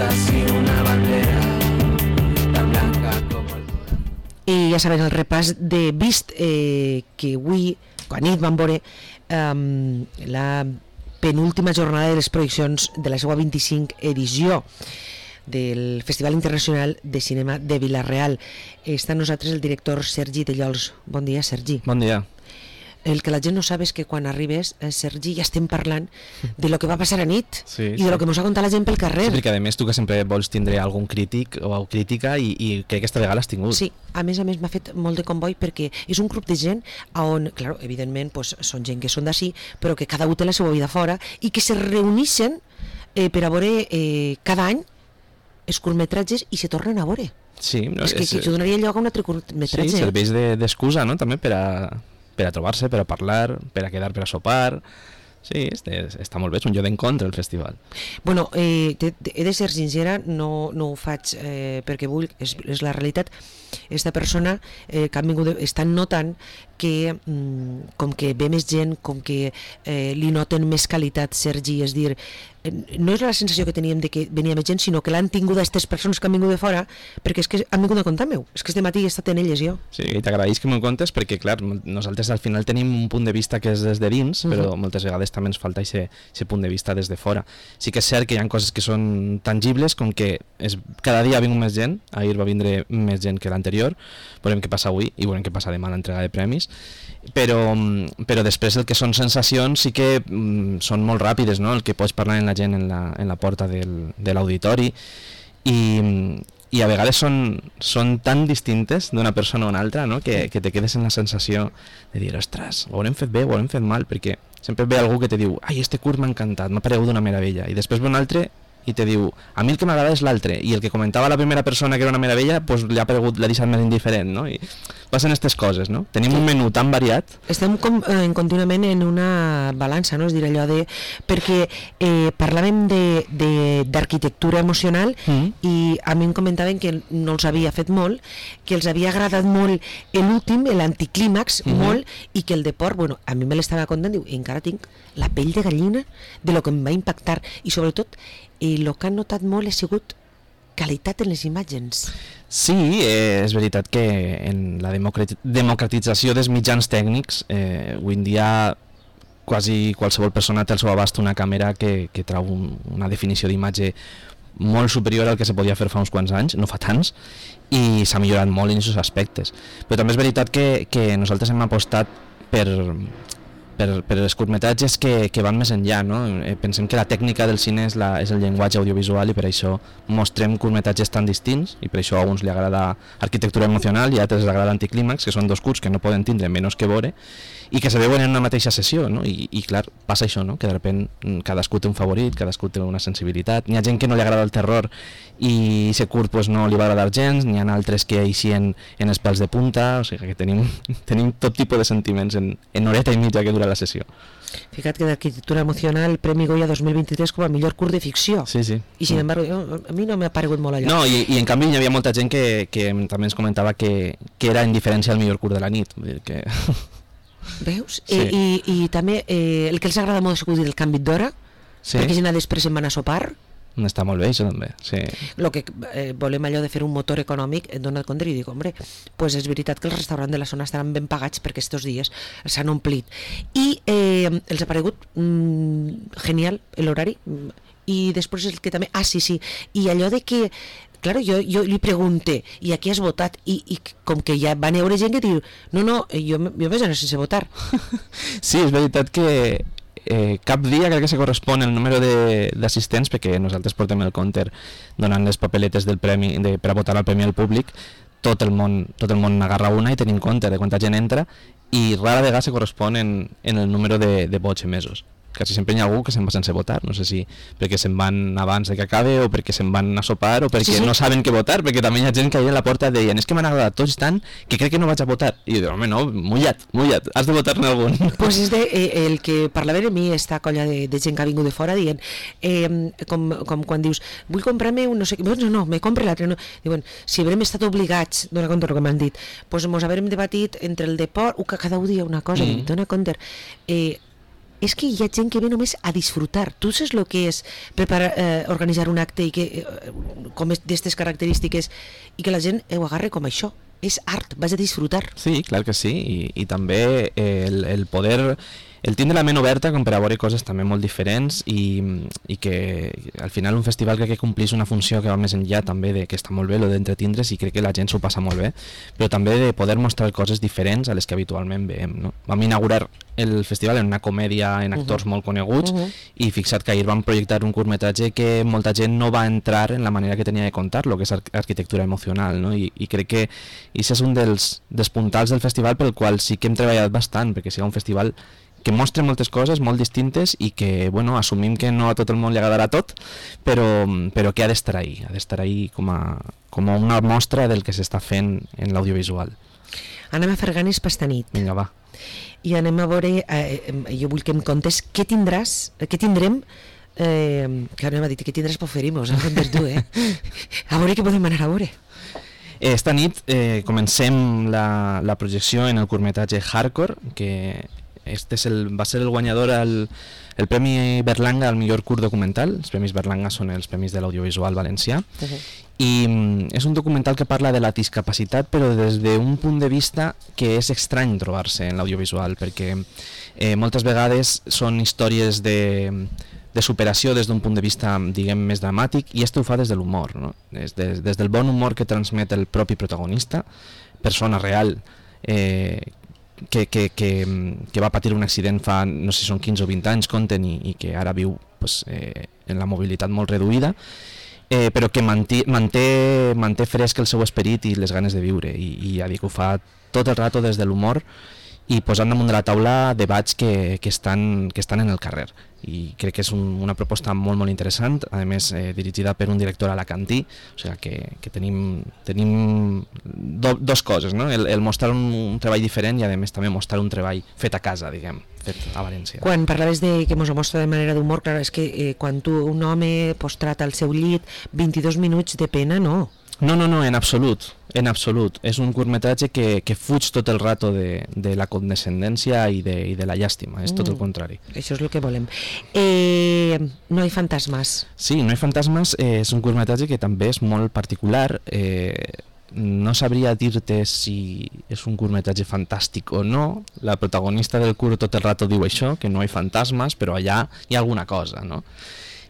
así una bandera tan blanca como el corazón. I ja saben, el repàs de Vist, que avui, quan nit van veure la penúltima jornada de les projeccions de la seva 25 edició del Festival Internacional de Cinema de Vila-real. Està amb nosaltres el director Sergi Dellols. Bon dia, Sergi. Bon dia. El que la gent no sap és que quan arribes, Sergi, ja estem parlant de lo que va passar a nit i de lo que ens ha contat la gent pel carrer. Sí, perquè a més tu que sempre vols tindre algun crític o crítica i crec que aquesta vegada l'has tingut. Sí, a més m'ha fet molt de comboi perquè és un grup de gent on, clar, evidentment pues, són gent que són d'ací, però que cada un té la seva vida fora i que se reuneixen per a veure cada any els curtmetratges i se tornen a veure. Sí, no, és que donaria lloc a un altre curtmetratge. Sí, serveix d'excusa, no?, també per a trobar-se, per a parlar, per a quedar per a sopar. Sí, està molt bé, és un lloc d'encontre el festival. Bueno, he de ser sincera, no ho faig perquè vull, és la realitat. Esta persona que han vingut estan notant que com que ve més gent, com que li noten més qualitat, Sergi, és dir, no és la sensació que teníem de que venia més gent, sinó que l'han tingut aquestes persones que han vingut de fora, perquè és que han vingut a comptar meu, és que este matí he estat en elles jo. Sí, i t'agraeix que m'ho contes perquè, clar, nosaltres al final tenim un punt de vista que és des de dins, però moltes vegades també ens falta aquest punt de vista des de fora. Sí que és cert que hi ha coses que són tangibles, com que cada dia ha vingut més gent, ahir va vindre més gent que l'anterior, veurem què passa avui i veurem què passa demà a l'entrega de premis, però després el que són sensacions sí que són molt ràpides, no?, el que pots parlar amb la gent en la porta de l'auditori i a vegades són tan distintes d'una persona a una altra, no?, que te quedes en la sensació de dir, ostres, ho haurem fet bé, ho haurem fet mal, perquè sempre ve algú que te diu, ai, este curt m'ha encantat, m'ha paregut una meravella, i després ve un altre i te diu, a mi el que m'agrada és l'altre, i el que comentava la primera persona que era una meravella, pues l'ha deixat més indiferent, no? I passen aquestes coses, no? Tenim un menú tan variat. Estem contínuament en una balança, no? És dir, allò de... Perquè parlàvem d'arquitectura emocional i a mi em comentaven que no els havia fet molt, que els havia agradat molt l'últim, l'anticlímax, molt, i que el de Port, bueno, a mi me l'estava contant, diu, encara tinc la pell de gallina de lo que em va impactar, i sobretot el que han notat molt ha sigut qualitat en les imatges. Sí, és veritat que en la democratització dels mitjans tècnics avui en dia quasi qualsevol persona té al seu abast una càmera que trau una definició d'imatge molt superior al que se podia fer fa uns quants anys, no fa tants, i s'ha millorat molt en aquests aspectes. Però també és veritat que nosaltres hem apostat per els curtmetratges que van més enllà, no? Pensem que la tècnica del cine és el llenguatge audiovisual i per això mostrem curtmetratges tan distints i per això a uns li agrada arquitectura emocional i a altres li agrada anticlímax, que són dos curts que no poden tindre menys que veure i que se veuen en una mateixa sessió, no? I clar, passa això, no? Que de sobte cadascú té un favorit, cadascú té una sensibilitat. N'hi ha gent que no li agrada el terror i aquest curt pues, no li va agradar gens, n'hi ha altres que eixien en els pèls de punta, o sigui que tenim tot tipus de sentiments en horeta i mitja que dura la sessió. Fica't que d'arquitectura emocional Premi Goya 2023 com a millor curt de ficció. Sí, sí. I sin embargo, a mi no m'ha paregut molt allò. No, i en canvi hi havia molta gent que també ens comentava que era indiferència al millor curt de la nit. Vull dir que... Veus? Sí. I també el que els agrada molt és el canvi d'hora, perquè si després se'n van a sopar. Està molt bé, això també, sí. El que volem allò de fer un motor econòmic, et dona compte i dic, hombre, pues és veritat que els restaurants de la zona estaran ben pagats perquè estos dies s'han omplit. I els ha paregut genial l'horari. I després el que també... Ah, sí, i allò de que... Claro, jo li pregunté, i aquí has votat? I com que ja van veure gent que diu, no, jo vaig anar sense votar. Sí, és veritat que cap dia crec que se correspon el número d'assistents, perquè nosaltres portem el compte donant les papeletes del premi per a votar al premi al públic, tot el món n'agarra una i tenim compte de quanta gent entra i rara vegada se correspon en el número de vots emesos. Quasi sempre hi ha algú que se'n va sense votar, no sé si perquè se'n van abans de que acabe o perquè se'n van a sopar o perquè no saben què votar, perquè també hi ha gent que ahir a la porta deien, és que m'han agradat tots tant que crec que no vaig a votar. I jo dic, home, no, mullat, has de votar-ne algun. Pues és el que parlava de mi, esta colla de gent que ha vingut de fora dient, com quan dius, vull comprar-me un no sé què, no, me compre l'altre, no. Diuen, si haurem estat obligats, dona compte el que m'han dit, pues mos haurem debatit entre el deport, que cada un dia una cosa, dona compte, és que hi ha gent que ve només a disfrutar. Tu saps el que és organitzar un acte i que com d'aquestes característiques i que la gent ho agarre com això. És art, vas a disfrutar. Sí, clar que sí, i també el poder, el tindre la ment oberta com per a veure coses també molt diferents i que al final un festival crec que complís una funció que va més enllà també de que està molt bé, lo d'entretindre's, i crec que la gent s'ho passa molt bé, però també de poder mostrar coses diferents a les que habitualment veiem, no? Vam inaugurar el festival en una comèdia en actors molt coneguts i fixa't que ahir vam projectar un curtmetratge que molta gent no va entrar en la manera que tenia de contar-lo, que és arquitectura emocional, no? I crec que això és un dels puntals del festival pel qual sí que hem treballat bastant, perquè sigui un festival que mostra moltes coses molt distintes i que, bueno, assumim que no a tot el món li agradarà tot, però que ha d'estar ahí com a una mostra del que s'està fent en l'audiovisual. Anem a fer ganes per esta nit. Vinga, va. I anem a veure, jo vull que em contes què tindrem, que anem a dir que tindràs per oferir-nos, a veure què podem anar a veure. Esta nit comencem la projecció en el curtmetratge Hardcore, que va ser el guanyador el Premi Berlanga al millor curt documental. Els Premis Berlanga són els premis de l'audiovisual valencià, i és un documental que parla de la discapacitat però des d'un punt de vista que és estrany trobar-se en l'audiovisual, perquè moltes vegades són històries de superació des d'un punt de vista, diguem, més dramàtic, i ho fa des de l'humor, no? Des del bon humor que transmet el propi protagonista, persona real, que va patir un accident fa, no sé si són 15 o 20 anys, compten, i que ara viu pues, en la mobilitat molt reduïda, però que manté fresc el seu esperit i les ganes de viure, i ja dic, ho fa tot el rato des de l'humor i posant damunt de la taula debats que estan en el carrer, i crec que és una proposta molt molt interessant, a més dirigida per un director alacantí, o sigui que tenim dos coses, no? El mostrar un treball diferent i a més també mostrar un treball fet a casa, diguem, fet a València. Quan parlaves de que mos ho mostra de manera d'humor, clar, és que quan un home postrat al seu llit 22 minuts de pena, no. No, en absolut. És un curtmetratge que fuig tot el rato de la condescendència i de la llàstima, és tot el contrari. Això és el que volem. No hi fantasmes. Sí, No hi fantasmes és un curtmetratge que també és molt particular. No sabria dir-te si és un curtmetratge fantàstic o no. La protagonista del curt tot el rato diu això, que no hi fantasmes, però allà hi ha alguna cosa, no?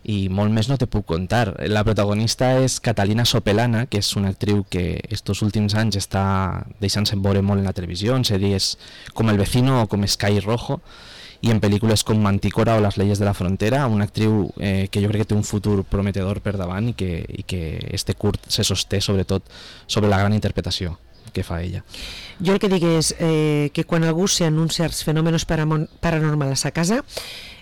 I molt més no te puc contar. La protagonista és Catalina Sopelana, que és una actriu que estos últims anys està deixant-se veure molt en la televisió, en sèries com El Vecino o com Sky Rojo, i en pel·lícules com Mantícora o Las leyes de la frontera, una actriu que jo crec que té un futur prometedor per davant i que este curt se sosté sobretot sobre la gran interpretació que fa ella. Jo el que dic és que quan algú s'anuncia certs fenòmenos paranormals a sa casa,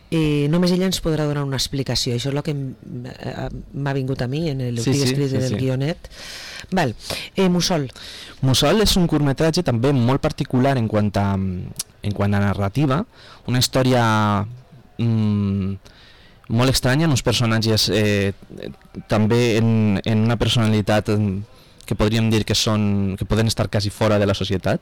només ella ens podrà donar una explicació. Això és el que m'ha vingut a mi en el que escrit del guionet. Val. Mussol és un curtmetratge també molt particular en quant a narrativa, una història molt estranya, en uns personatges també en una personalitat que podríem dir que poden estar quasi fora de la societat,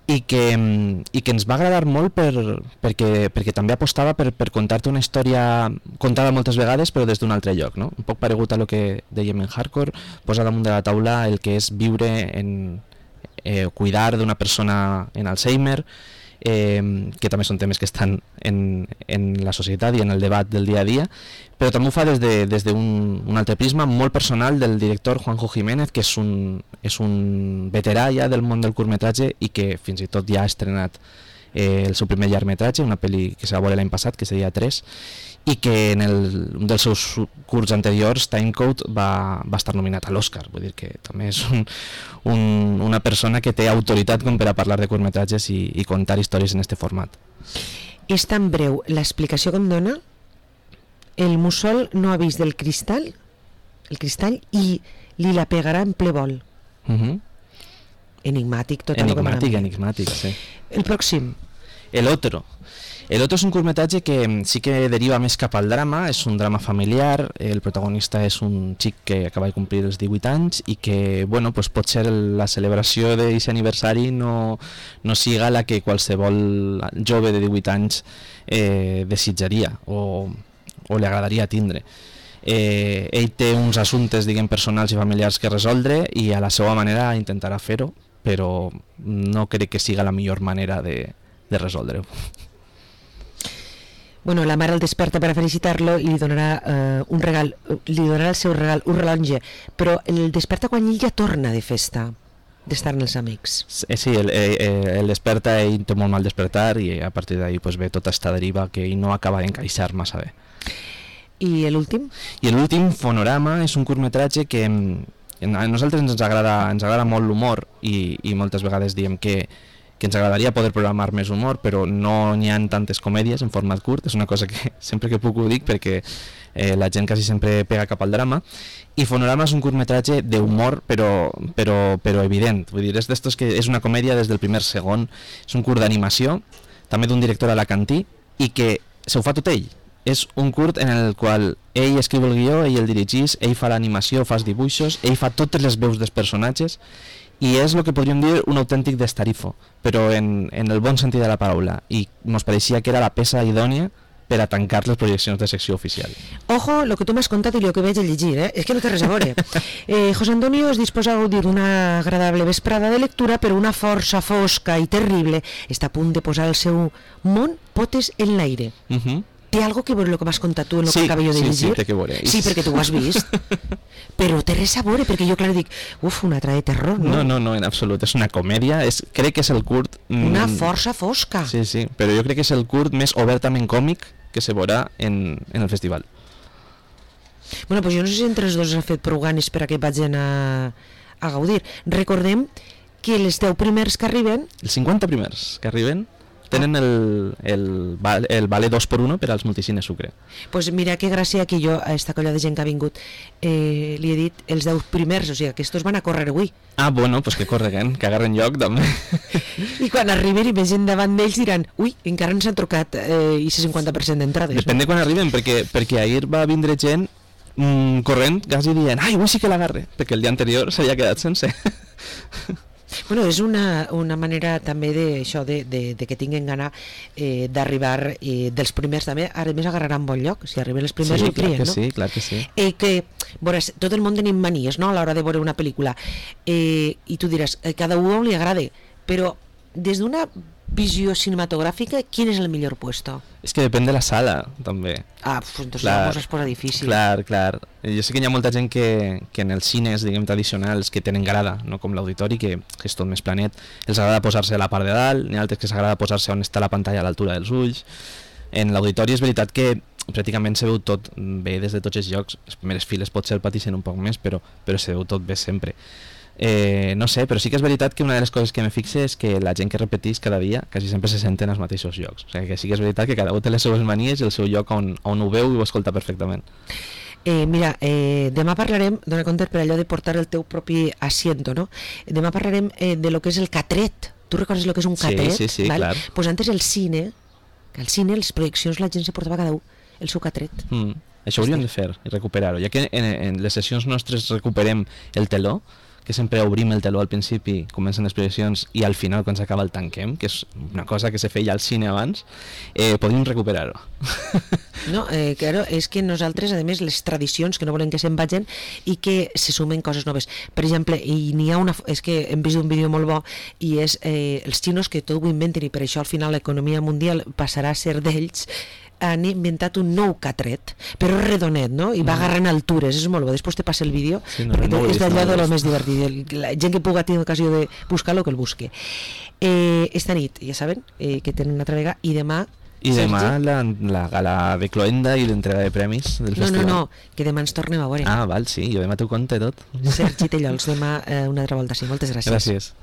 i que ens va agradar molt perquè també apostava per contar-te una història contada moltes vegades però des d'un altre lloc, no? Un poc paregut a lo que dèiem en Hardcore, posar damunt de la taula el que és viure cuidar d'una persona en Alzheimer, que també són temes que estan en la societat i en el debat del dia a dia, però també ho fa des d'un altre prisma molt personal del director Juanjo Jiménez, que és un veterà ja del món del curtmetratge i que fins i tot ja ha estrenat el seu primer llargmetratge, una pel·li que se va veure l'any passat, que seria 3, i que en un dels seus curts anteriors, Timecode, va estar nominat a l'Oscar. Vull dir que també és una persona que té autoritat com per a parlar de curtmetratges i contar històries en este format. És tan breu l'explicació que em dona. El Mussol no ha vist el cristall i li la pegarà en ple vol. Enigmàtic, tot el que m'ha dit. Enigmàtic, sí. El pròxim. El Otro. El otro es un curtmetratge que sí que deriva més cap al drama, és un drama familiar, el protagonista és un xic que acaba de complir els 18 anys i que, bueno, pues potser la celebració d'aquest aniversari no siga la que qualsevol jove de 18 anys desitjaria o li agradaria tindre. Ell té uns assumptes, diguem, personals i familiars que resoldre i a la seva manera intentarà fer-ho, però no crec que siga la millor manera de resoldre-ho. Bueno, la mare el desperta per a felicitar-lo i li donarà un regal, li donarà el seu regal, un rellotge, però el desperta quan ell ja torna de festa, d'estar amb els amics. Sí, el desperta, ell té molt mal despertar i a partir d'ahí pues, ve tota esta deriva que ell no acaba d'encaixar massa bé. I l'últim? I l'últim, Fonorama, és un curtmetratge que a nosaltres ens agrada molt l'humor i moltes vegades diem que ens agradaria poder programar més humor, però no n'hi ha tantes comèdies en format curt, és una cosa que sempre que puc ho dic perquè la gent quasi sempre pega cap al drama, i Fonorama és un curtmetratge d'humor però evident, vull dir, és d'estos que és una comèdia des del primer segon, és un curt d'animació, també d'un director alacantí, i que se ho fa tot ell. És un curt en el qual ell escriu el guió, ell el dirigís, ell fa l'animació, fa els dibuixos, ell fa totes les veus dels personatges i és el que podríem dir un autèntic destarifo, però en el bon sentit de la paraula, i ens pareixia que era la peça idònia per a tancar les projeccions de secció oficial. Ojo, lo que tu m'has contat i lo que vaig a llegir, és que no té res a veure. José Antonio es disposa a gaudir d'una agradable vesprada de lectura, però una força fosca i terrible està a punt de posar el seu món potes en l'aire. Té algo que veure el que m'has contat tu en el que acabo de llegir? Sí, té que veure. Sí, perquè tu ho has vist. Però té res a veure, perquè jo clar dic, una altra de terror, no? No, en absolut, és una comèdia, crec que és el curt... Una força fosca. Sí, però jo crec que és el curt més obertament còmic que se veurà en el festival. Bueno, doncs jo no sé si entre els dos s'ha fet prou ganes per a que vagin a gaudir. Recordem que els 10 primers que arriben... Els 50 primers que arriben tenen el vale 2x1 per als multicines Sucre. Pues mira que gràcia que jo a esta colla de gent que ha vingut li he dit els 10 primers, o sigui que estos van a córrer avui. Ah, bueno, pues que correguen, que agarren lloc també. I quan arriben i més gent davant d'ells diran encara ens han trucat i 50% d'entrades. Depèn de quan arriben, perquè ahir va vindre gent corrent, quasi dient, avui sí que l'agarre, perquè el dia anterior s'havia quedat sense. Bueno, és una manera també d'això, de que tinguin gana d'arribar dels primers també, ara més agarraran bon lloc, si arriben els primers ho crien, no? Sí, clar que sí. Que, veuràs, tot el món tenim manies, no?, a l'hora de veure una pel·lícula, i tu diràs, cada un li agrada, però des d'una visió cinematogràfica, quin és el millor puesto? És que depèn de la sala, també. Pues entonces la cosa es posa difícil. Clar. Jo sé que hi ha molta gent que en els cines, diguem, tradicionals, que tenen grada, no com l'auditori, que és tot més planet, els agrada posar-se a la part de dalt, n'hi ha altres que s'agrada posar-se on està la pantalla a l'altura dels ulls. En l'auditori és veritat que pràcticament se veu tot bé des de tots els llocs, les primeres files potser el pateixen un poc més, però se veu tot bé sempre. No sé, però sí que és veritat que una de les coses que me fixe és que la gent que repeteix cada dia quasi sempre se senten als mateixos llocs, o sigui que sí que és veritat que cada un té les seves manies i el seu lloc on ho veu i ho escolta perfectament. Mira, demà parlarem, dona compte per allò de portar el teu propi asiento, no? Demà parlarem de lo que és el catret. Tu recordes lo que és un catret? Sí, clar. Pues antes el cine, les projeccions, la gent se portava cada un el seu catret. Això hauríem de fer i recuperar-ho, ja que en les sessions nostres recuperem el teló, que sempre obrim el teló al principi, comencen les projeccions i al final quan s'acaba el tanquem, que és una cosa que se feia al cine abans, podríem recuperar-ho. No, claro, és que nosaltres, a més, les tradicions que no volen que se'n vagin i que se sumen coses noves. Per exemple, és que hem vist un vídeo molt bo i és els xinos que tot ho inventen i per això al final l'economia mundial passarà a ser d'ells, han inventat un nou catret, però redonet, no? I va agarrant altures, és molt bo. Després te passa el vídeo, perquè és d'allò de lo més divertit. La gent que puga tenir ocasió de buscar-lo, que el busque. Esta nit, ja saben, que tenen una altra vegada, i demà... I demà la gala de Cloenda i l'entrega de premis del festival. No, que demà ens tornem a veure. Ah, val, sí, jo demà t'ho conto tot. Sergi Tellols, demà una altra volta, sí. Moltes gràcies. Gràcies.